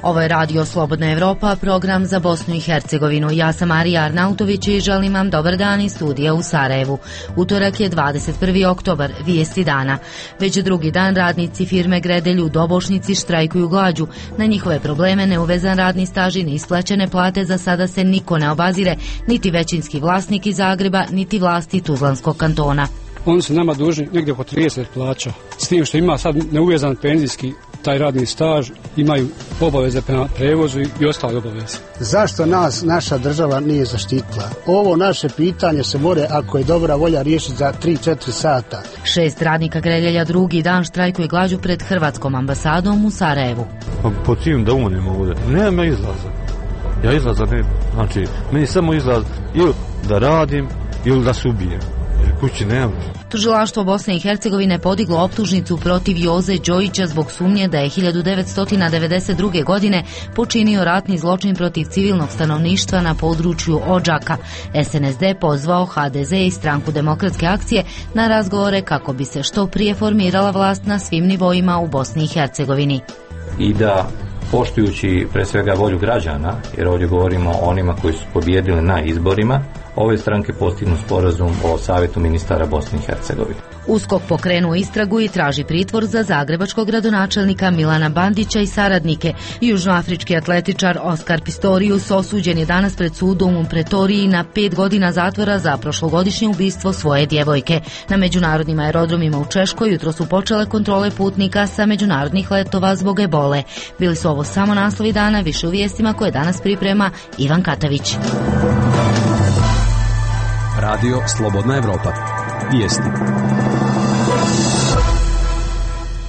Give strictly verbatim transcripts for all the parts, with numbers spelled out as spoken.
Ovo je Radio Slobodna Evropa, program za Bosnu i Hercegovinu. Ja sam Marija Arnautović i želim vam dobar dan iz studija u Sarajevu. Utorak je dvadeset prvi oktobar, vijesti dana. Već drugi dan radnici firme Gredelj u Dobošnici štrajkuju glađu. Na njihove probleme neuvezan radni staž i neisplaćene plate za sada se niko ne obazire, niti većinski vlasnik iz Zagreba, niti vlasti Tuzlanskog kantona. Oni su nama dužni negdje oko trideset plaća, s tim što ima sad neuvezan penzijski taj radni staž, imaju obaveze prema prevozu i ostale obaveze. Zašto nas naša država nije zaštitila? Ovo naše pitanje se more, ako je dobra volja, riješiti za tri do četiri sata. Šest radnika Gredelja drugi dan štrajkuje glađu pred Hrvatskom ambasadom u Sarajevu. Pa po čim da umremo ovdje? Nema izlaza. Ja izlaza ne, znači, meni samo izlaz ili da radim ili da se ubijem. Kući nema. Tužilaštvo Bosne i Hercegovine podiglo optužnicu protiv Joze Đojića zbog sumnje da je hiljadu devetsto devedeset druge. godine počinio ratni zločin protiv civilnog stanovništva na području Odžaka. S N S D pozvao H D Z i Stranku demokratske akcije na razgovore kako bi se što prije formirala vlast na svim nivoima u Bosni i Hercegovini. I da poštujući pre svega volju građana, jer ovdje govorimo o onima koji su pobijedili na izborima, ove stranke postignu sporazum o Savjetu ministara Bosne i Hercegovine. USKOK pokrenuo istragu i traži pritvor za zagrebačkog gradonačelnika Milana Bandića i saradnike. Južnoafrički atletičar Oskar Pistorius osuđen je danas pred sudom u Pretoriji na pet godina zatvora za prošlogodišnje ubistvo svoje djevojke. Na međunarodnim aerodromima u Češkoj jutro su počele kontrole putnika sa međunarodnih letova zbog ebole. Bili su ovo samo naslovi dana, više u vijestima koje danas priprema Ivan Katavić. Radio Slobodna Evropa. Vijesti.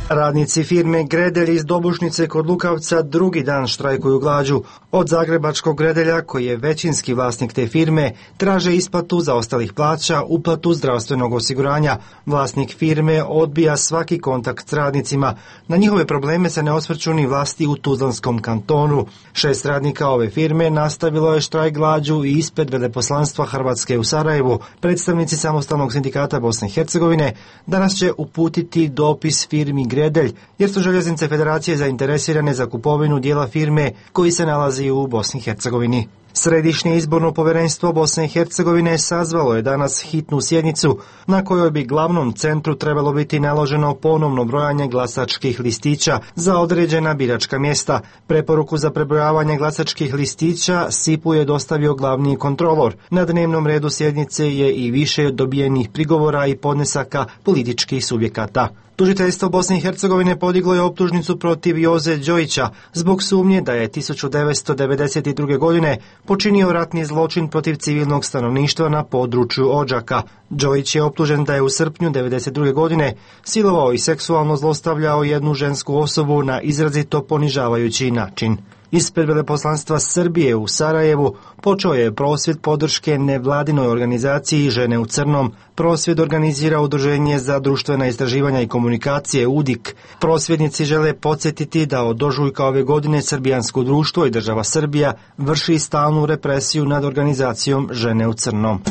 Radnici firme Gredelj iz Dobušnice kod Lukavca drugi dan štrajkuju glađu. Od zagrebačkog Gredelja, koji je većinski vlasnik te firme, traže isplatu zaostalih plaća, uplatu zdravstvenog osiguranja. Vlasnik firme odbija svaki kontakt s radnicima. Na njihove probleme se ne osvrću ni vlasti u Tuzlanskom kantonu. Šest radnika ove firme nastavilo je štrajk glađu i ispred veleposlanstva Hrvatske u Sarajevu. Predstavnici Samostalnog sindikata Bosne i Hercegovine danas će uputiti dopis firmi Gredelj, jer su Željeznice Federacije zainteresirane za kupovinu dijela firme koji se nalazi u Bosni i Hercegovini. Središnje izborno povjerenstvo Bosne i Hercegovine sazvalo je danas hitnu sjednicu na kojoj bi glavnom centru trebalo biti naloženo ponovno brojanje glasačkih listića za određena biračka mjesta. Preporuku za prebrojavanje glasačkih listića S I P-u je dostavio glavni kontrolor. Na dnevnom redu sjednice je i više dobijenih prigovora i podnesaka političkih subjekata. Tužiteljstvo Bosne i Hercegovine podiglo je optužnicu protiv Joze Đojića zbog sumnje da je hiljadu devetsto devedeset druge. godine počinio ratni zločin protiv civilnog stanovništva na području Odžaka. Đojić je optužen da je u srpnju devedeset druge. godine silovao i seksualno zlostavljao jednu žensku osobu na izrazito ponižavajući način. Ispred veleposlanstva Srbije u Sarajevu počeo je prosvjed podrške nevladinoj organizaciji Žene u crnom. Prosvjed organizira Udruženje za društvena istraživanja i komunikacije U D I K. Prosvjednici žele podsjetiti da od ožujka ove godine srbijansko društvo i država Srbija vrši stalnu represiju nad organizacijom Žene u crnom.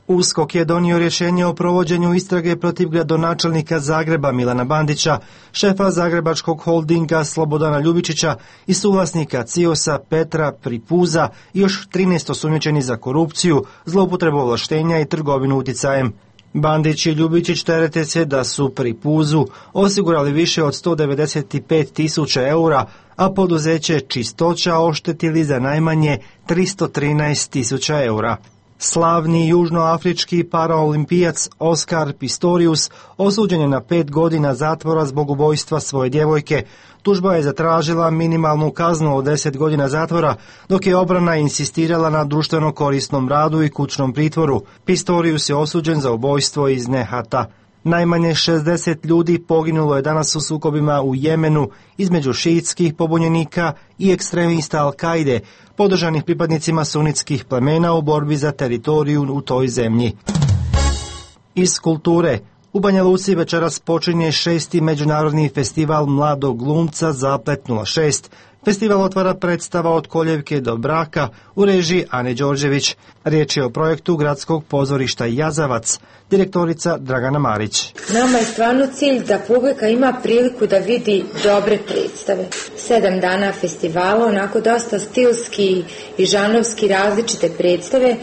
USKOK je donio rješenje o provođenju istrage protiv gradonačelnika Zagreba Milana Bandića, šefa zagrebačkog holdinga Slobodana Ljubičića i suvlasnika Ciosa Petra Pripuza i još trinaest osumnjičenih za korupciju, zloupotrebu ovlaštenja i trgovinu uticajem. Bandić i Ljubičić terete se da su Pripuzu osigurali više od sto devedeset pet tisuća eura, a poduzeće Čistoća oštetili za najmanje tristo trinaest tisuća eura. Slavni južnoafrički paraolimpijac Oskar Pistorius osuđen je na pet godina zatvora zbog ubojstva svoje djevojke. Tužba je zatražila minimalnu kaznu od deset godina zatvora, dok je obrana insistirala na društveno korisnom radu i kućnom pritvoru. Pistorius je osuđen za ubojstvo iz nehata. Najmanje šezdeset ljudi poginulo je danas u sukobima u Jemenu između šiitskih pobunjenika i ekstremista Al-Kaide, podržanih pripadnicima sunitskih plemena u borbi za teritoriju u toj zemlji. Iz kulture. U Banja Luci večeras počinje šesti međunarodni festival mladog glumca Zaplet nula šest. Festival otvara predstava Od koljevke do braka u režiji Ane Đorđević. Riječ je o projektu Gradskog pozorišta Jazavac, direktorica Dragana Marić. Nama je stvarno cilj da publika ima priliku da vidi dobre predstave. Sedam dana festivala, onako dosta stilski i žanrovski različite predstave.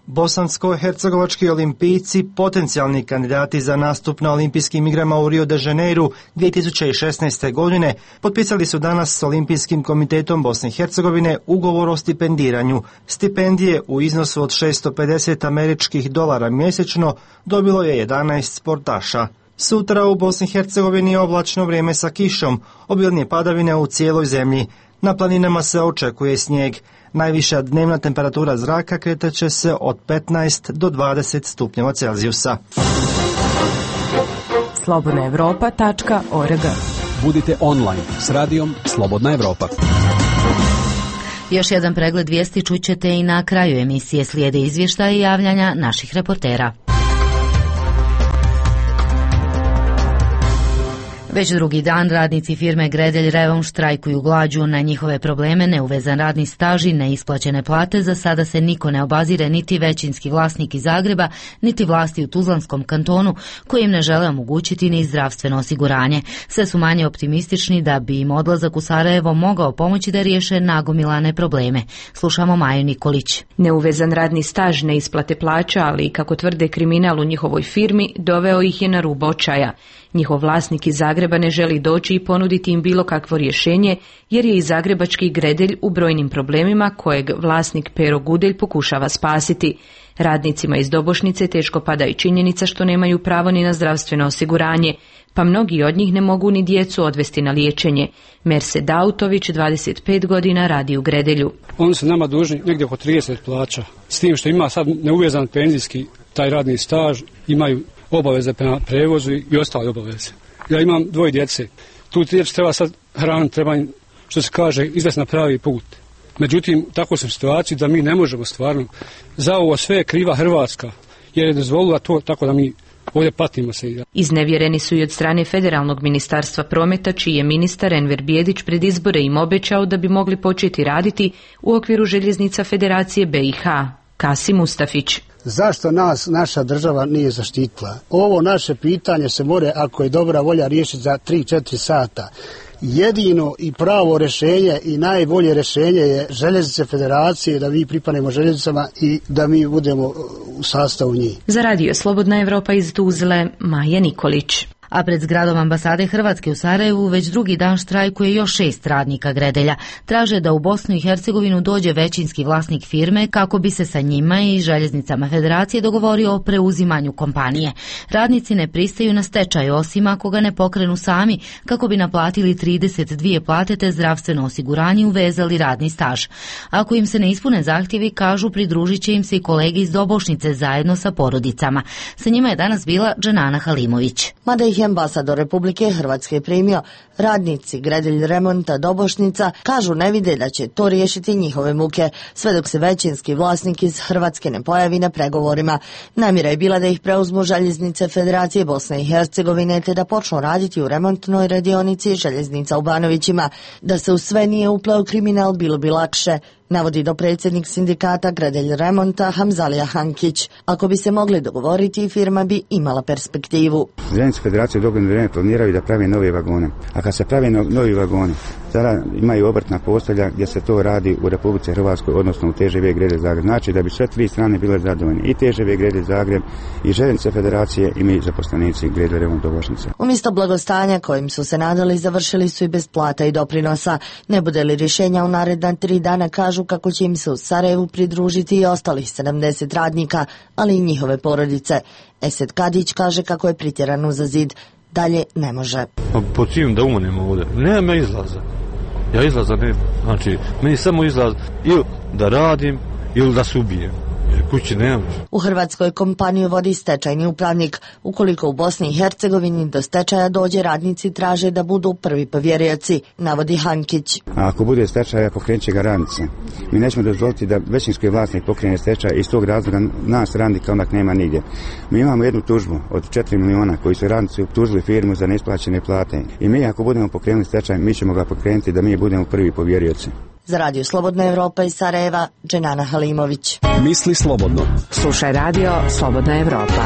Bosansko-hercegovački olimpijci, potencijalni kandidati za nastup na olimpijskim igrama u Rio de Janeiru dvije tisuće šesnaeste. godine, potpisali su danas s Olimpijskim komitetom Bosne i Hercegovine ugovor o stipendiranju. Stipendije u iznosu od šesto pedeset američkih dolara mjesečno dobilo je jedanaest sportaša. Sutra u Bosni i Hercegovini je oblačno vrijeme sa kišom, obilne padavine u cijeloj zemlji. Na planinama se očekuje snijeg. Najviša dnevna temperatura zraka kretat će se od petnaest do dvadeset stupnjeva Celzijusa. slobodna evropa tačka org. Budite online s radijom Slobodna Evropa. Još jedan pregled vijesti čućete i na kraju emisije. Slijede izvještaja i javljanja naših reportera. Već drugi dan radnici firme Gredelj Revon štrajkuju glađu. Na njihove probleme, neuvezan radni staž i neisplaćene plate, za sada se niko ne obazire, niti većinski vlasnik iz Zagreba, niti vlasti u Tuzlanskom kantonu, koji im ne žele omogućiti ni zdravstveno osiguranje. Sve su manje optimistični da bi im odlazak u Sarajevo mogao pomoći da riješe nagomilane probleme. Slušamo Maju Nikolić. Neuvezan radni staž, neisplate plaća, ali i kako tvrde kriminal u njihovoj firmi, doveo ih je na rub očaja. Njihov vlasnik iz Zagreba ne želi doći i ponuditi im bilo kakvo rješenje, jer je i zagrebački Gredelj u brojnim problemima kojeg vlasnik Pero Gudelj pokušava spasiti. Radnicima iz Dobošnice teško pada i činjenica što nemaju pravo ni na zdravstveno osiguranje, pa mnogi od njih ne mogu ni djecu odvesti na liječenje. Merse Dautović, dvadeset pet godina, radi u Gredelju. Oni su nama dužni negdje oko trideset plaća, s tim što ima sad neuvezan penzijski taj radni staž, imaju obaveze prema prevozu i ostale obaveze. Ja imam dvoje djece. Tu djece treba sad hraniti, treba im, što se kaže, izvesti na pravi put. Međutim, tako sam u situaciji da mi ne možemo stvarno. Za ovo sve je kriva Hrvatska, jer je dozvolila to tako da mi ovdje patimo se. Iznevjereni su i od strane Federalnog ministarstva prometa, čiji je ministar Enver Bijedić pred izbore im obećao da bi mogli početi raditi u okviru željeznica Federacije B i H. Kasi Mustafić. Zašto nas naša država nije zaštitila? Ovo naše pitanje se more, ako je dobra volja, riješiti za tri četiri sata. Jedino i pravo rješenje i najbolje rješenje je željeznice Federacije, da mi pripadnemo željeznicama i da mi budemo u sastavu njih. Za radio Slobodna Evropa iz Tuzle, Maja Nikolić. A pred zgradom ambasade Hrvatske u Sarajevu već drugi dan štrajkuje još šest radnika Gredelja. Traže da u Bosnu i Hercegovinu dođe većinski vlasnik firme kako bi se sa njima i željeznicama Federacije dogovorio o preuzimanju kompanije. Radnici ne pristaju na stečaj, osim ako ga ne pokrenu sami, kako bi naplatili trideset dvije plate te zdravstveno osiguranje i uvezali radni staž. Ako im se ne ispune zahtjevi, kažu, pridružit će im se i kolege iz Dobošnice zajedno sa porodicama. Sa njima je danas bila Dženana Halimović. Mada ih je ambasador Republike Hrvatske primio, radnici Gredelj remonta Dobošnica kažu ne vide da će to riješiti njihove muke, sve dok se većinski vlasnik iz Hrvatske ne pojavi na pregovorima. Namjera je bila da ih preuzmu željeznice Federacije Bosne i Hercegovine te da počnu raditi u remontnoj radionici željeznica u Banovićima. Da se u sve nije upleo kriminal, bilo bi lakše, navodi dopredsjednik sindikata Gredelj remonta Hamzalija Hankić. Ako bi se mogli dogovoriti, firma bi imala perspektivu. Željeznice Federacije dogodno vrijeme planiraju da pravi nove vagone. A kad se pravi no, novi vagoni, sada imaju obrtna postelja gdje se to radi u Republici Hrvatskoj, odnosno u T Ž V Gredelj Zagreb. Znači da bi sve tri strane bile zadovoljne, i T Ž V Gredelj Zagreb, i Željeznice Federacije, i mi zaposlenici Gredelj remont Dobošnice. Umjesto blagostanja kojim su se nadali, završili su i bez plata i doprinosa. Ne bude li rješenja u naredna tri dana, kažu kako će im se u Sarajevu pridružiti i ostalih sedamdeset radnika, ali i njihove porodice. Esed Kadić kaže kako je pretjerano za zid. Dalje ne može. Po cijem da umrem ovdje. Nema izlaza. Ja izlaza ne. Znači, meni samo izlaz ili da radim ili da se ubijem. Jer kući nemam. U Hrvatskoj kompaniju vodi stečajni upravnik. Ukoliko u Bosni i Hercegovini do stečaja dođe, radnici traže da budu prvi povjerioci, navodi Hankić. A ako bude stečaj, pokrenut će ga radnici. Mi nećemo dozvoliti da većinski vlasnik pokrene stečaj, iz tog razloga nas radnika onak nema nigdje. Mi imamo jednu tužbu od četiri miliona koji su radnici optužili firmu za neisplaćene plate. I mi ako budemo pokrenuli stečaj, mi ćemo ga pokrenuti da mi budemo prvi povjerioci. Za Radio Slobodna Evropa iz Sarajeva, Dženana Halimović. Misli slobodno. Slušaj Radio Slobodna Evropa.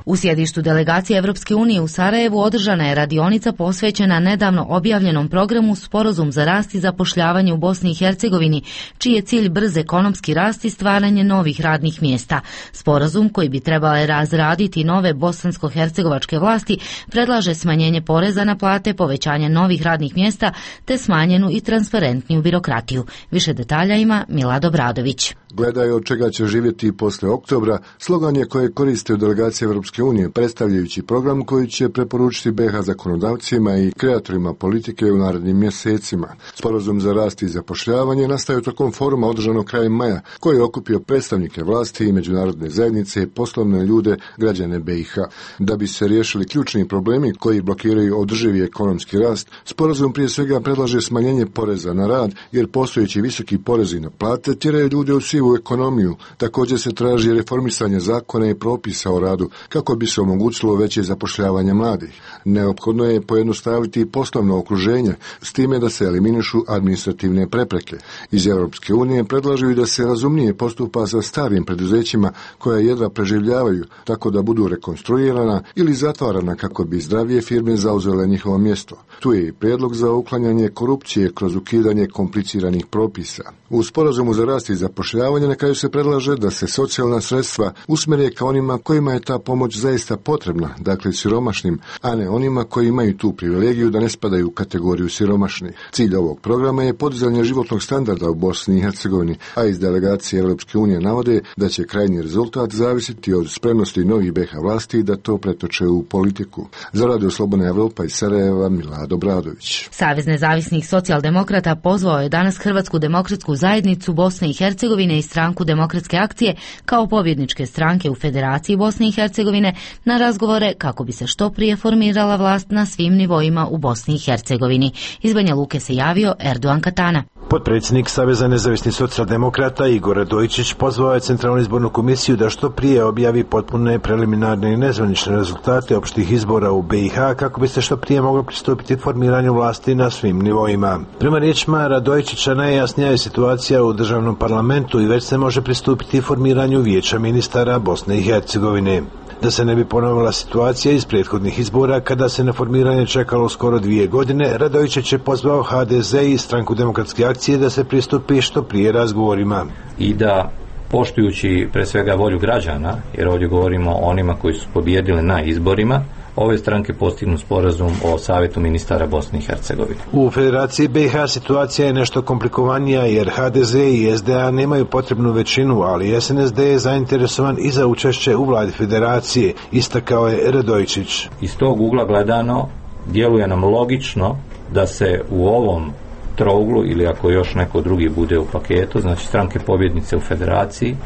U sjedištu delegacije Evropske unije u Sarajevu održana je radionica posvećena nedavno objavljenom programu Sporazum za rast i zapošljavanje u Bosni i Hercegovini, čiji je cilj brz ekonomski rast i stvaranje novih radnih mjesta. Sporazum, koji bi trebale razraditi nove bosansko-hercegovačke vlasti, predlaže smanjenje poreza na plate, povećanje novih radnih mjesta te smanjenu i transparentniju birokratiju. Više detalja ima Milad Obradović. Gledaj od čega će živjeti posle oktobra, slogan je koje koriste u delegaciji Evropske unije, predstavljajući program koji će preporučiti B iH zakonodavcima i kreatorima politike u narednim mjesecima. Sporazum za rast i zapošljavanje nastaje tokom foruma održanog krajem maja, koji je okupio predstavnike vlasti i međunarodne zajednice, poslovne ljude, građane B iH. Da bi se riješili ključni problemi koji blokiraju održivi ekonomski rast, sporazum prije svega predlaže smanjenje poreza na rad, jer postojeći visoki porezi na plate tjeraju ljude u sivu ekonomiju. Također se traži reformisanje zakona i propisa o radu, kako bi se omogućilo veće zapošljavanje mladih. Neophodno je pojednostaviti poslovno okruženje, s time da se eliminišu administrativne prepreke. Iz Europske unije predlažu i da se razumnije postupa sa starim preduzećima koja jedva preživljavaju, tako da budu rekonstruirana ili zatvarana kako bi zdravije firme zauzele njihovo mjesto. Tu je i prijedlog za uklanjanje korupcije kroz ukidanje kompliciranih propisa. U sporazumu za rast i zapošljavanje na kraju se predlaže da se socijalna sredstva usmjere ka onima kojima je ta pomoć zaista potrebna, dakle siromašnim, a ne onima koji imaju tu privilegiju da ne spadaju u kategoriju siromašnih. Cilj ovog programa je podizanje životnog standarda u Bosni i Hercegovini, a iz delegacije Europske unije navode da će krajnji rezultat zavisiti od spremnosti novih B iH vlasti da to pretoče u politiku. Za Radio Slobodna Evropa iz Sarajeva, Milad Obradović. Savez nezavisnih socijaldemokrata pozvao je danas Hrvatsku demokratsku zajednicu Bosne i Hercegovine i Stranku demokratske akcije kao pobjedničke stranke u Federaciji Bosne i Hercegovine na razgovore kako bi se što prije formirala vlast na svim nivoima u Bosni i Hercegovini. Iz Banja Luke se javio Erdogan Katana. Potpredsjednik Saveza nezavisnih socijaldemokrata Igor Radojičić pozvao je Centralnu izbornu komisiju da što prije objavi potpune preliminarne i nezvanične rezultate opštih izbora u B iH kako bi se što prije moglo pristupiti formiranju vlasti na svim nivoima. Prema riječima Radojičića najjasnija je situacija u državnom parlamentu i već se može pristupiti formiranju vijeća ministara Bosne i Hercegovine. Da se ne bi ponovila situacija iz prethodnih izbora kada se na formiranje čekalo skoro dvije godine, Radojičić je pozvao H D Z i Stranku demokratske akcije da se pristupi što prije razgovorima. I da, poštujući pre svega volju građana, jer ovdje govorimo o onima koji su pobijedili na izborima, ove stranke postignu sporazum o Savjetu ministara Bosne i Hercegovine. U Federaciji B iH situacija je nešto komplikovanija jer H D Z i S D A nemaju potrebnu većinu, ali S N S D je zainteresovan i za učešće u vladi Federacije, istakao je Radojičić. Iz tog ugla gledano djeluje nam logično da se u ovom trouglu ili ako još neko drugi bude u paketu, znači stranke pobjednice u Federaciji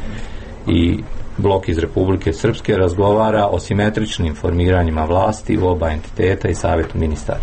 i blok iz Republike Srpske razgovara o simetričnim formiranjima vlasti u oba entiteta i Savjetu ministara.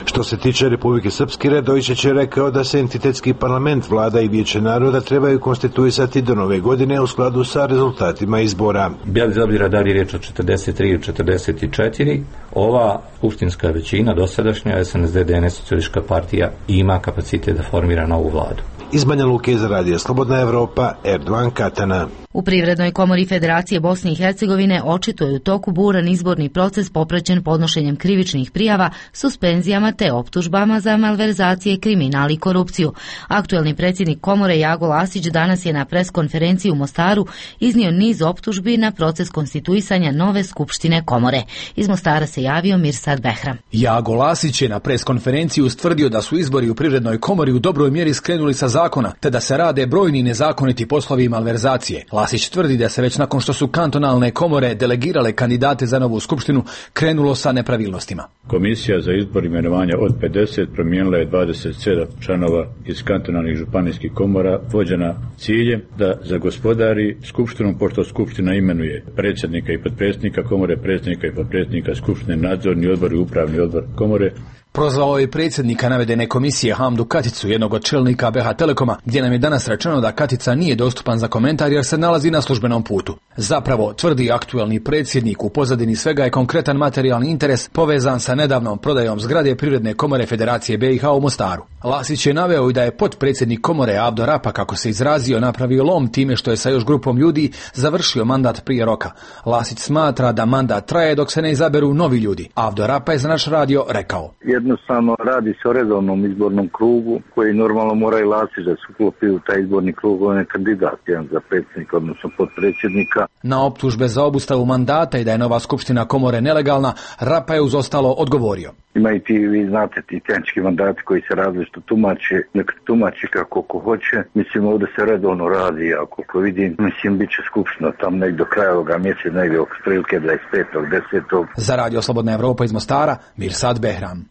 Što se tiče Republike Srpske, Radojičić je rekao da se entitetski parlament, vlada i vijeće naroda trebaju konstituisati do nove godine u skladu sa rezultatima izbora. Bez obzira da li je riječ o četrdeset tri ili četrdeset četiri, ova skupštinska većina, dosadašnja S N S D D N S socijalistička partija, ima kapacitet da formira novu vladu. Iz Banja Luke za Radio Slobodna Evropa, Erdogan Katana. U Privrednoj komori Federacije Bosne i Hercegovine očito je u toku buran izborni proces popraćen podnošenjem krivičnih prijava, suspenzijama te optužbama za malverzacije, kriminal i korupciju. Aktuelni predsjednik komore Jago Lasić danas je na preskonferenciji u Mostaru iznio niz optužbi na proces konstituisanja nove skupštine komore. Iz Mostara se javio Mirsad Behram. Jago Lasić je na preskonferenciji ustvrdio da su izbori u Privrednoj komori u dobroj mjeri skrenuli sa zakona, te da se rade brojni nezakoniti poslovi i malverzacije. Lasić tvrdi da se već nakon što su kantonalne komore delegirale kandidate za novu skupštinu krenulo sa nepravilnostima. Komisija za izbor imenovanja od pedeset promijenila je dvadeset sedam članova iz kantonalnih županijskih komora, vođena ciljem da zagospodari skupštinom, pošto skupština imenuje predsjednika i potpredsjednika komore, predsjednika i potpredsjednika skupštine, nadzorni odbor i upravni odbor komore. Prozvao je predsjednika navedene komisije Hamdu Katicu, jednog od čelnika B H Telekoma, gdje nam je danas rečeno da Katica nije dostupan za komentar jer se nalazi na službenom putu. Zapravo, tvrdi aktuelni predsjednik, u pozadini svega je konkretan materijalni interes povezan sa nedavnom prodajom zgrade Privredne komore Federacije B i H u Mostaru. Lasić je naveo i da je potpredsjednik komore Abdo Rapa, kako se izrazio, napravio lom time što je sa još grupom ljudi završio mandat prije roka. Lasić smatra da mandat traje dok se ne izaberu novi ljudi. Abdo Rapa je za naš radio rekao: Jednostavno radi se o redovnom izbornom krugu koji normalno mora i Lasić da se uklopi u taj izborni krug, on je kandidat jedan za predsjednika, odnosno potpredsjednika. Na optužbe za obustavu mandata i da je nova skupština komore nelegalna, Rapa je uz ostalo odgovorio: Ima i ti, vi znate, ti tehnički mandati koji se različito tumače, nek tumači kako ko hoće. Mislim, ovdje se redovno radi, a koliko vidim, mislim, bit će skupština tam nek do kraja ovoga mjeseca, negdje oko prilike dvadeset petog desetog Za radio Slobodna Evropa iz Mostara, Mirsad Behram.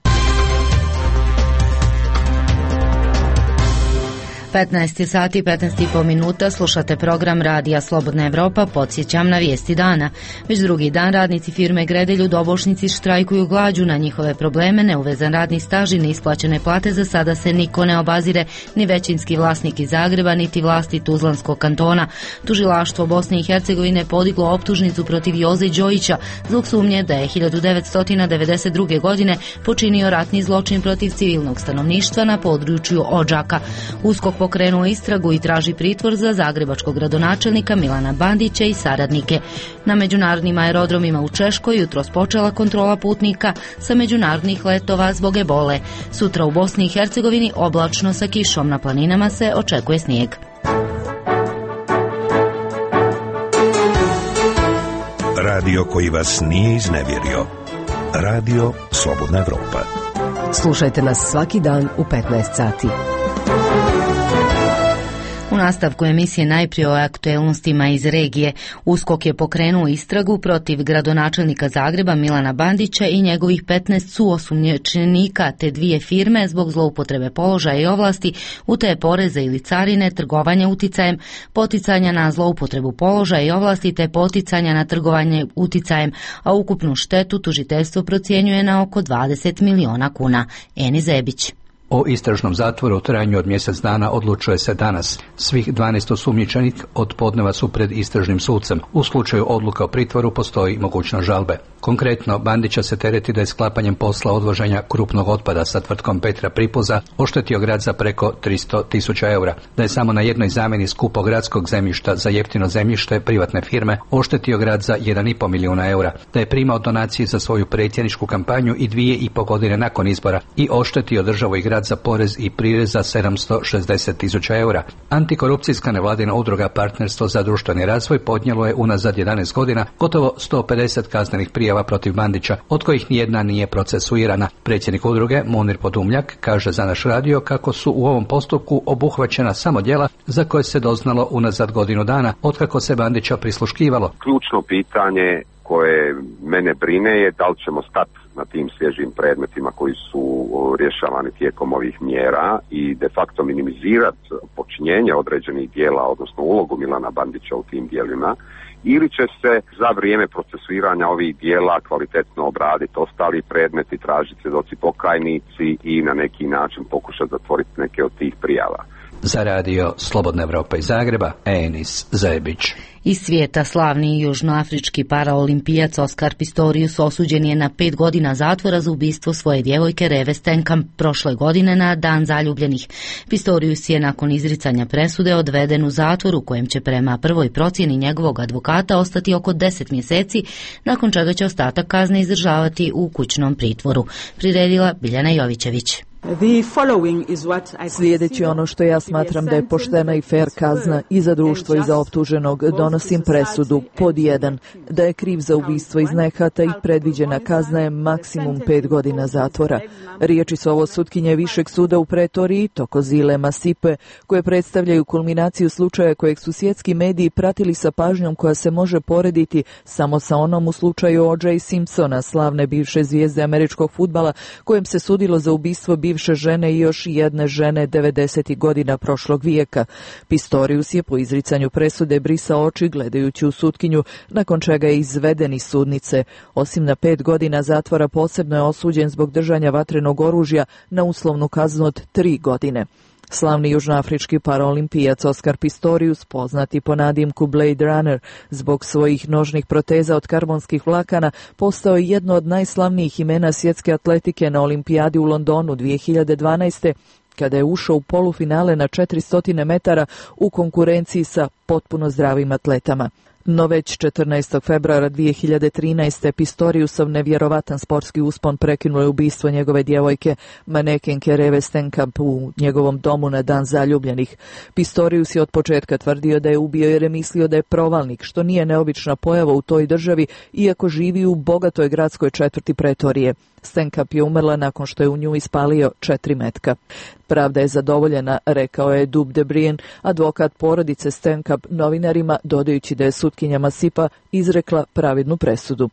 petnaest sati i petnaest i po minuta, slušate program Radija Slobodna Evropa, podsjećam na vijesti dana. Već drugi dan radnici firme Gredelj u Dobošnici štrajkuju glađu. Na njihove probleme, neuvezan radni staž i neisplaćene plate za sada se niko ne obazire, ni većinski vlasnik iz Zagreba, niti vlasti Tuzlanskog kantona. Tužilaštvo Bosne i Hercegovine podiglo optužnicu protiv Joze Đojića zbog sumnje da je hiljadu devetsto devedeset druge. godine počinio ratni zločin protiv civilnog stanovništva na području Odžaka. Uskok pokrenuo istragu i traži pritvor za zagrebačkog gradonačelnika Milana Bandića i saradnike. Na međunarodnim aerodromima u Češkoj jutros počela kontrola putnika sa međunarodnih letova zbog ebole. Sutra u Bosni i Hercegovini oblačno sa kišom, na planinama se očekuje snijeg. Radio koji vas nije iznevjerio. Radio Slobodna Evropa. Slušajte nas svaki dan u petnaest sati. U nastavku emisije najprije o aktuelnostima iz regije. USKOK je pokrenuo istragu protiv gradonačelnika Zagreba Milana Bandića i njegovih petnaest suosumnjičenika te dvije firme zbog zloupotrebe položaja i ovlasti, utaje poreza ili carine, trgovanja uticajem, poticanja na zloupotrebu položaja i ovlasti te poticanja na trgovanje uticajem, a ukupnu štetu tužiteljstvo procjenjuje na oko dvadeset miliona kuna. Eni Zebić. O istražnom zatvoru u trajanju od mjesec dana odlučuje se danas. Svih dvanaest osumnjičenih od podneva su pred istražnim sucem. U slučaju odluka o pritvoru postoji mogućnost žalbe. Konkretno, Bandića se tereti da je sklapanjem posla odvoženja krupnog otpada sa tvrtkom Petra Pripuza oštetio grad za preko tristo tisuća eura. Da je samo na jednoj zamjeni skupog gradskog zemljišta za jeftino zemljište privatne firme oštetio grad za jedan i pol milijuna eura. Da je primao donacije za svoju predsjedničku kampanju i dvije i pol godine nakon izbora i oštetio državu i grad za porez i prirez za sedamsto šezdeset tisuća eura. Antikorupcijska nevladina udruga Partnerstvo za društveni razvoj podnijelo je unazad jedanaest godina gotovo sto pedeset kaznenih prijava protiv Bandića, od kojih nijedna nije procesuirana. Predsjednik udruge Munir Podumljak kaže za naš radio kako su u ovom postupku obuhvaćena samo djela za koje se doznalo unazad godinu dana, otkako se Bandića prisluškivalo. Ključno pitanje koje mene brine je da li ćemo stati na tim svježim predmetima koji su rješavani tijekom ovih mjera i de facto minimizirati počinjenje određenih dijela, odnosno ulogu Milana Bandića u tim dijelima, ili će se za vrijeme procesuiranja ovih dijela kvalitetno obraditi ostali predmeti, tražiti svjedoci pokajnici i na neki način pokušati zatvoriti neke od tih prijava. Za radio Slobodna Evropa iz Zagreba, Enis Zebić. Iz svijeta slavni južnoafrički paraolimpijac Oskar Pistorius osuđen je na pet godina zatvora za ubistvo svoje djevojke Reve Stenkamp prošle godine na Dan zaljubljenih. Pistorius je nakon izricanja presude odveden u zatvor u kojem će prema prvoj procjeni njegovog advokata ostati oko deset mjeseci, nakon čega će ostatak kazne izdržavati u kućnom pritvoru. Priredila Biljana Jovićević. Slijedeći ono što ja smatram da je poštena i fair kazna i za društvo i za optuženog, donosim presudu pod jedan, da je kriv za ubistvo iz nehata i predviđena kazna je maksimum pet godina zatvora. Riječi su ovo sutkinje Višeg suda u Pretoriji, Thokozile Masipe, koje predstavljaju kulminaciju slučaja kojeg su svjetski mediji pratili sa pažnjom koja se može porediti samo sa onom u slučaju O J Simpsona, slavne bivše zvijezde američkog fudbala, kojem se sudilo za ubistvo bivše žene i još jedne žene devedesetih godina prošlog vijeka. Pistorius je po izricanju presude brisao oči gledajući u sutkinju, nakon čega je izveden iz sudnice. Osim na pet godina zatvora, posebno je osuđen zbog držanja vatrenog oružja na uslovnu kaznu od tri godine. Slavni južnoafrički paraolimpijac Oskar Pistorius, poznati po nadimku Blade Runner, zbog svojih nožnih proteza od karbonskih vlakana, postao je jedno od najslavnijih imena svjetske atletike na olimpijadi u Londonu dvije hiljade dvanaeste. kada je ušao u polufinale na četiristo metara u konkurenciji sa potpuno zdravim atletama. No već četrnaestog februara dvije hiljade trinaeste. Pistoriusov nevjerovatan sportski uspon prekinulo je ubistvo njegove djevojke, manekenke Reve Steenkamp, u njegovom domu na dan zaljubljenih. Pistorius je od početka tvrdio da je ubio jer je mislio da je provalnik, što nije neobična pojava u toj državi, iako živi u bogatoj gradskoj četvrti Pretorije. Steenkamp je umrla nakon što je u nju ispalio četiri metka. Pravda je zadovoljena, rekao je Dub de Brien, advokat porodice Steenkamp, novinarima, dodajući da je sutkinja Masipa izrekla pravednu presudu.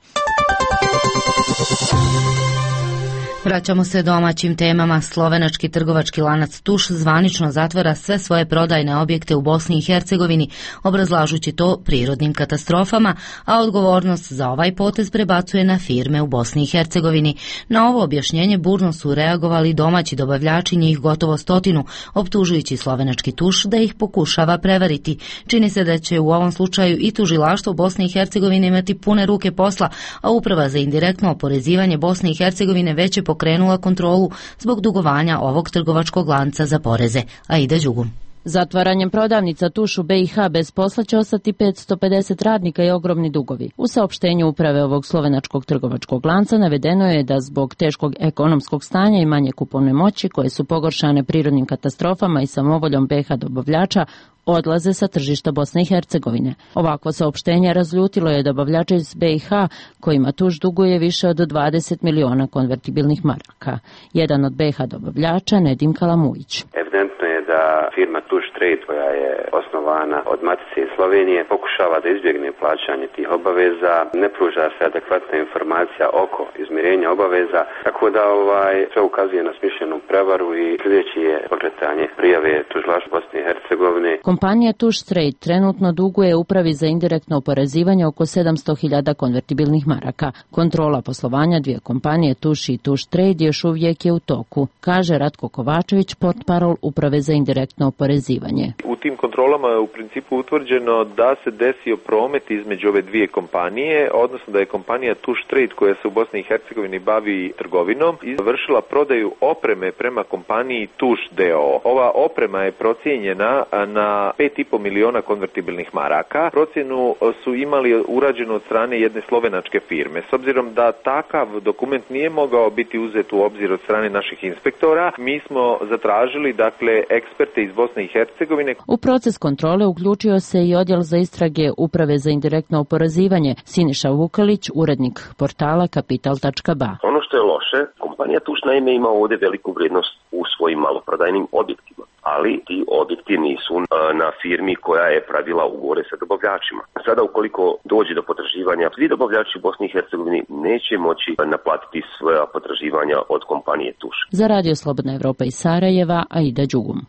Vraćamo se domaćim temama. Slovenački trgovački lanac Tuš zvanično zatvara sve svoje prodajne objekte u Bosni i Hercegovini, obrazlažući to prirodnim katastrofama, a odgovornost za ovaj potez prebacuje na firme u Bosni i Hercegovini. Na ovo objašnjenje burno su reagovali domaći dobavljači, njih gotovo stotinu, optužujući slovenački Tuš da ih pokušava prevariti. Čini se da će u ovom slučaju i tužilaštvo Bosne i Hercegovine imati pune ruke posla, a Uprava za indirektno oporezivanje Bosne i Hercegovine već je pokrenula kontrolu zbog dugovanja ovog trgovačkog lanca za poreze. Aida Đugum. Zatvaranjem prodavnica Tuš u B i H bez posla će ostati petsto pedeset radnika i ogromni dugovi. U saopštenju uprave ovog slovenačkog trgovačkog lanca navedeno je da zbog teškog ekonomskog stanja i manje kupovne moći, koje su pogoršane prirodnim katastrofama i samovoljom B i H dobavljača, odlaze sa tržišta Bosne i Hercegovine. Ovakvo saopštenje razljutilo je dobavljače iz B i H, kojima Tuš duguje više od dvadeset miliona konvertibilnih maraka. Jedan od B i H dobavljača, Nedim Kalamujić. Evidentno je da firma Tuš Trade, koja je osnovana od Matice iz Slovenije, pokušava da izbjegne plaćanje tih obaveza, ne pruža se adekvatna informacija oko izmirenja obaveza, tako da ovaj sve ukazuje na smišljenu prevaru i sljedeći je pokretanje prijave tužilaštvu Bosne i Hercegovine. Kompanija Tuš Trade trenutno duguje Upravi za indirektno oporezivanje oko sedamsto hiljada konvertibilnih maraka. Kontrola poslovanja dvije kompanije Tuš i Tuš Trade još uvijek je u toku, kaže Ratko Kovačević, portparol Uprave za indirektno oporezivanje. U tim kontrolama je u principu utvrđeno da se desio promet između ove dvije kompanije, odnosno da je kompanija Tuš Trade, koja se u Bosni i Hercegovini bavi trgovinom, izvršila prodaju opreme prema kompaniji Tuš D O O. Ova oprema je procijenjena na pet i po miliona konvertibilnih maraka. Procjenu su imali urađenu od strane jedne slovenačke firme. S obzirom da takav dokument nije mogao biti uzet u obzir od strane naših inspektora, mi smo zatražili, dakle, eksperte iz Bosne i Hercegovine. U proces kontrole uključio se i odjel za istrage Uprave za indirektno oporezivanje. Siniša Vukalić, urednik portala kapital tačka ba. Ono što je loše, kompanija Tuš naime ima ovdje veliku vrijednost u svojim maloprodajnim objektima, ali ti objekti nisu na firmi koja je pravila ugovore sa dobavljačima. Sada ukoliko dođe do potraživanja, svi dobavljači u Bosni i Hercegovini neće moći naplatiti svoja potraživanja od kompanije Tuš. Za Radio Slobodna Evropa iz Sarajeva, Aida Đugum.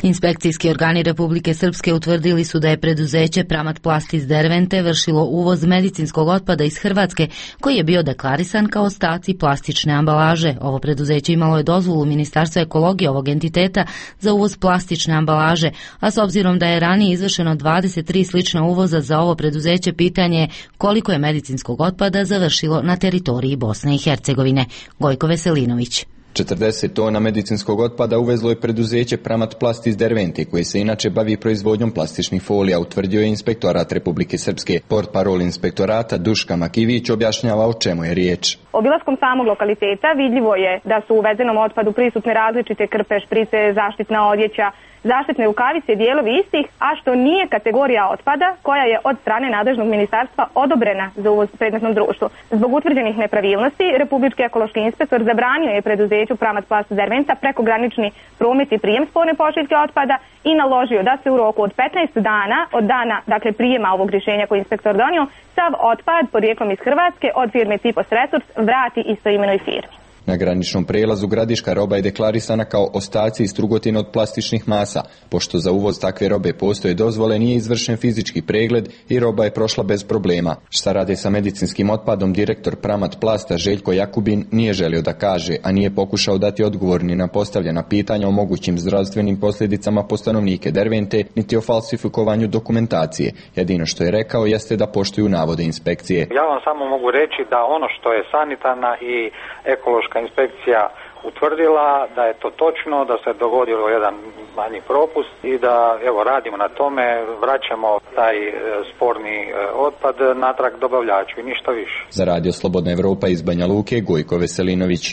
Inspekcijski organi Republike Srpske utvrdili su da je preduzeće Pramat Plast iz Dervente vršilo uvoz medicinskog otpada iz Hrvatske, koji je bio deklarisan kao ostaci plastične ambalaže. Ovo preduzeće imalo je dozvolu Ministarstva ekologije ovog entiteta za uvoz plastične ambalaže, a s obzirom da je ranije izvršeno dvadeset tri slična uvoza za ovo preduzeće, pitanje je koliko je medicinskog otpada završilo na teritoriji Bosne i Hercegovine. Gojko Veselinović. četrdeset tona medicinskog otpada uvezlo je preduzeće Pramat Plast iz Dervente, koje se inače bavi proizvodnjom plastičnih folija, utvrdio je Inspektorat Republike Srpske. Portparol inspektorata Duška Makivić objašnjava o čemu je riječ. Obilaskom samog lokaliteta vidljivo je da su u uvezenom otpadu prisutne različite krpe, šprice, zaštitna odjeća, zaštitne rukavice i dijelovi istih, a što nije kategorija otpada koja je od strane nadležnog ministarstva odobrena za uvoz predmetnom društvu. Zbog utvrđenih nepravilnosti, Republički ekološki inspektor zabranio je preduzeću Pramat Plast Derventa prekogranični promet i prijem sporne pošiljke otpada i naložio da se u roku od petnaest dana od dana, dakle prijema ovog rješenja koji je inspektor donio, sav otpad porijeklom iz Hrvatske od firme Tipos Resurs vrati istoimenoj firmi. Na graničnom prelazu Gradiška roba je deklarisana kao ostaci i strugotine od plastičnih masa. Pošto za uvoz takve robe postoje dozvole, nije izvršen fizički pregled i roba je prošla bez problema. Šta rade sa medicinskim otpadom, direktor Pramat Plasta Željko Jakubin nije želio da kaže, a nije pokušao dati odgovor ni na postavljena pitanja o mogućim zdravstvenim posljedicama po stanovnike Dervente, niti o falsifikovanju dokumentacije. Jedino što je rekao jeste da poštuju navode inspekcije. Ja vam samo mogu reći da ono što je sanitarna i ekološka inspekcija utvrdila da je to točno, da se dogodio jedan manji propust i da evo radimo na tome, vraćamo taj e, sporni e, otpad natrag dobavljaču i ništa više. Za Radio Slobodna Evropa iz Banja Luke, Gojko Veselinović.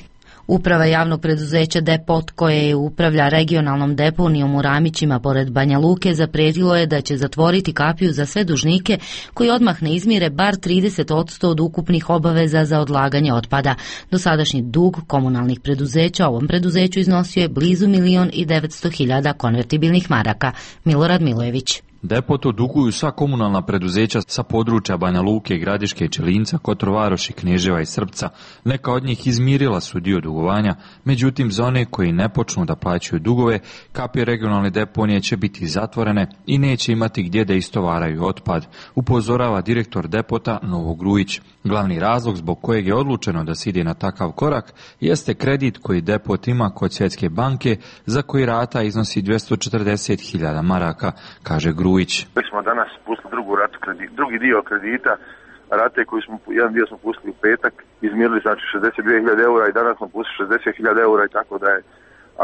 Uprava javnog preduzeća Depot, koje upravlja regionalnom deponijom u Ramićima pored Banja Luke, zaprijetilo je da će zatvoriti kapiju za sve dužnike koji odmah ne izmire bar trideset posto od ukupnih obaveza za odlaganje otpada. Dosadašnji dug komunalnih preduzeća ovom preduzeću iznosio je blizu milion i devetsto hiljada konvertibilnih maraka. Milorad Milojević. Depotu duguju sva komunalna preduzeća sa područja Banja Luke, Gradiške, Čelinca, Kotrovaroši, Kneževa i Srpca. Neka od njih izmirila su dio dugovanja, međutim za one koji ne počnu da plaćaju dugove, kapije regionalne deponije će biti zatvorene i neće imati gdje da istovaraju otpad, upozorava direktor Depota Novo Grujić. Glavni razlog zbog kojeg je odlučeno da se ide na takav korak jeste kredit koji Depot ima kod Svjetske banke, za koji rata iznosi dvjesto četrdeset hiljada maraka, kaže Grujić. Mi smo danas pustili drugu ratu kredita, drugi dio kredita, rate koji smo, jedan dio smo pustili u petak, izmirili znači šezdeset dvije hiljade eura i danas smo pustili šezdeset hiljada eura i tako da je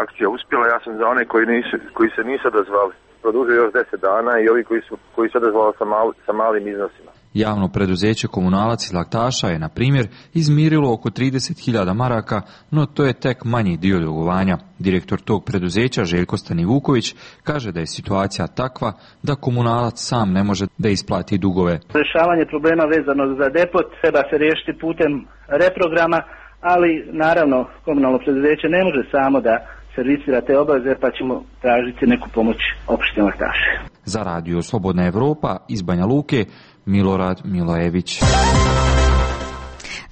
akcija uspjela. Ja sam za one koji, nisu, koji se nisu odazvali produžio još deset dana i ovi koji su koji se odazvali sa, mal, sa malim iznosima. Javno preduzeće Komunalac iz Laktaša je, na primjer, izmirilo oko trideset hiljada maraka, no to je tek manji dio dugovanja. Direktor tog preduzeća, Željko Stanivuković, kaže da je situacija takva da Komunalac sam ne može da isplati dugove. Rješavanje problema vezano za Depot treba se riješiti putem reprograma, ali naravno komunalno preduzeće ne može samo da servisira te obaveze, pa ćemo tražiti neku pomoć opštine Laktaše. Za Radio Slobodna Evropa iz Banja Luke, Milorad Milojević.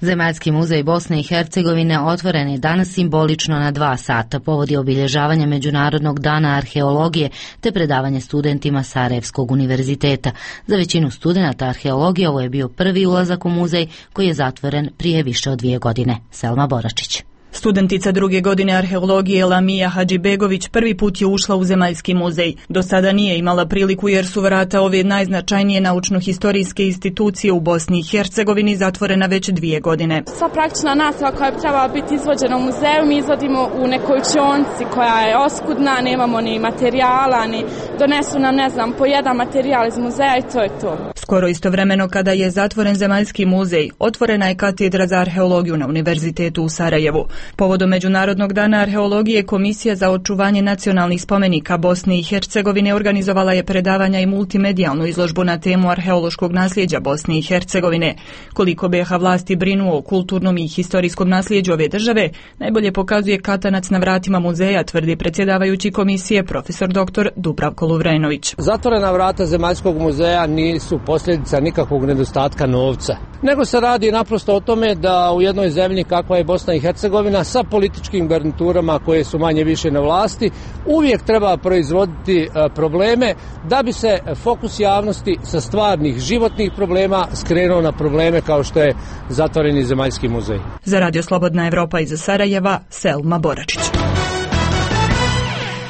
Zemaljski muzej Bosne i Hercegovine otvoren je danas simbolično na dva sata, povodi obilježavanja Međunarodnog dana arheologije te predavanje studentima Sarajevskog univerziteta. Za većinu studenata arheologije ovo je bio prvi ulazak u muzej koji je zatvoren prije više od dvije godine. Selma Boračić. Studentica druge godine arheologije Lamija Hadžibegović prvi put je ušla u Zemaljski muzej. Do sada nije imala priliku jer su vrata ove najznačajnije naučno-historijske institucije u Bosni i Hercegovini zatvorena već dvije godine. Sva praktična nastava koja bi trebala biti izvođena u muzeju mi izvodimo u nekoj učionci koja je oskudna, nemamo ni materijala, ni donesu nam, ne znam, po jedan materijal iz muzeja i to je to. Skoro istovremeno kada je zatvoren Zemaljski muzej, otvorena je katedra za arheologiju na Univerzitetu u Sarajevu. Povodom Međunarodnog dana arheologije, Komisija za očuvanje nacionalnih spomenika Bosne i Hercegovine organizovala je predavanja i multimedijalnu izložbu na temu arheološkog nasljeđa Bosne i Hercegovine. Koliko B iH vlasti brinu o kulturnom i historijskom nasljeđu ove države, najbolje pokazuje katanac na vratima muzeja, tvrdi predsjedavajući komisije profesor doktor Dubravko Luvrenović. Zatvorena vrata Zemaljskog muzeja nisu posljedica nikakvog nedostatka novca, nego se radi naprosto o tome da u jednoj zemlji kakva je Bosna i Hercegovina sa političkim garniturama koje su manje više na vlasti uvijek treba proizvoditi probleme da bi se fokus javnosti sa stvarnih životnih problema skrenuo na probleme kao što je zatvoreni Zemaljski muzej. Za Radio Slobodna Evropa iz Sarajeva, Selma Boračić.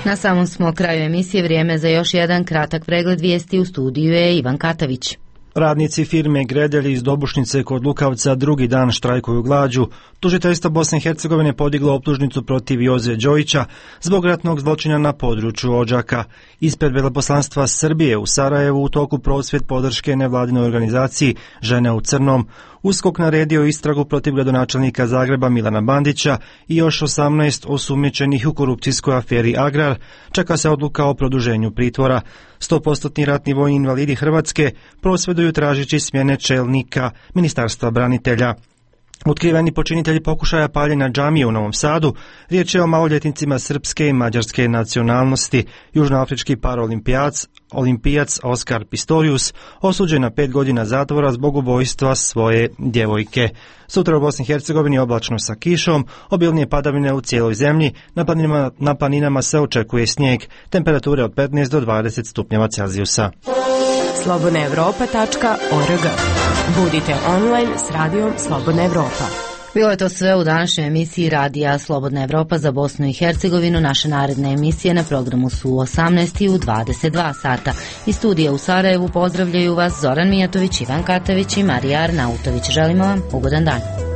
Na samom smo kraju emisije, vrijeme za još jedan kratak pregled vijesti. U studiju je Ivan Katavić. Radnici firme Gredelj iz Dobušnice kod Lukavca drugi dan štrajkuju glađu. Tužiteljstvo Bosne i Hercegovine podiglo optužnicu protiv Joze Đojića zbog ratnog zločina na području Odžaka. Ispred veleposlanstva Srbije u Sarajevu u toku prosvjed podrške nevladinoj organizaciji Žene u crnom. USKOK naredio istragu protiv gradonačelnika Zagreba Milana Bandića i još osamnaest osumnjičenih u korupcijskoj aferi Agrar. Čeka se odluka o produženju pritvora. sto posto ratni vojni invalidi Hrvatske prosvjeduju tražeći smjene čelnika Ministarstva branitelja. Otkriveni počinitelji pokušaja paljenja džamije u Novom Sadu, riječ je o maloljetnicima srpske i mađarske nacionalnosti. Južnoafrički paraolimpijac olimpijac Oskar Pistorius osuđen na pet godina zatvora zbog ubojstva svoje djevojke. Sutra u Bosni i Hercegovini oblačno sa kišom, obilnije padavine u cijeloj zemlji, na planinama, na planinama se očekuje snijeg, temperature od petnaest do dvadeset stupnjeva Celzijusa. slobodna europa tačka org. Budite online s radijom Slobodna Evropa. Bilo je to sve u današnjoj emisiji Radija Slobodna Evropa za Bosnu i Hercegovinu. Naše naredne emisije na programu su u osamnaest i u dvadeset dva sata. Iz studija u Sarajevu pozdravljaju vas Zoran Mijatović, Ivan Katavić i Marija Arnautović. Želimo vam ugodan dan.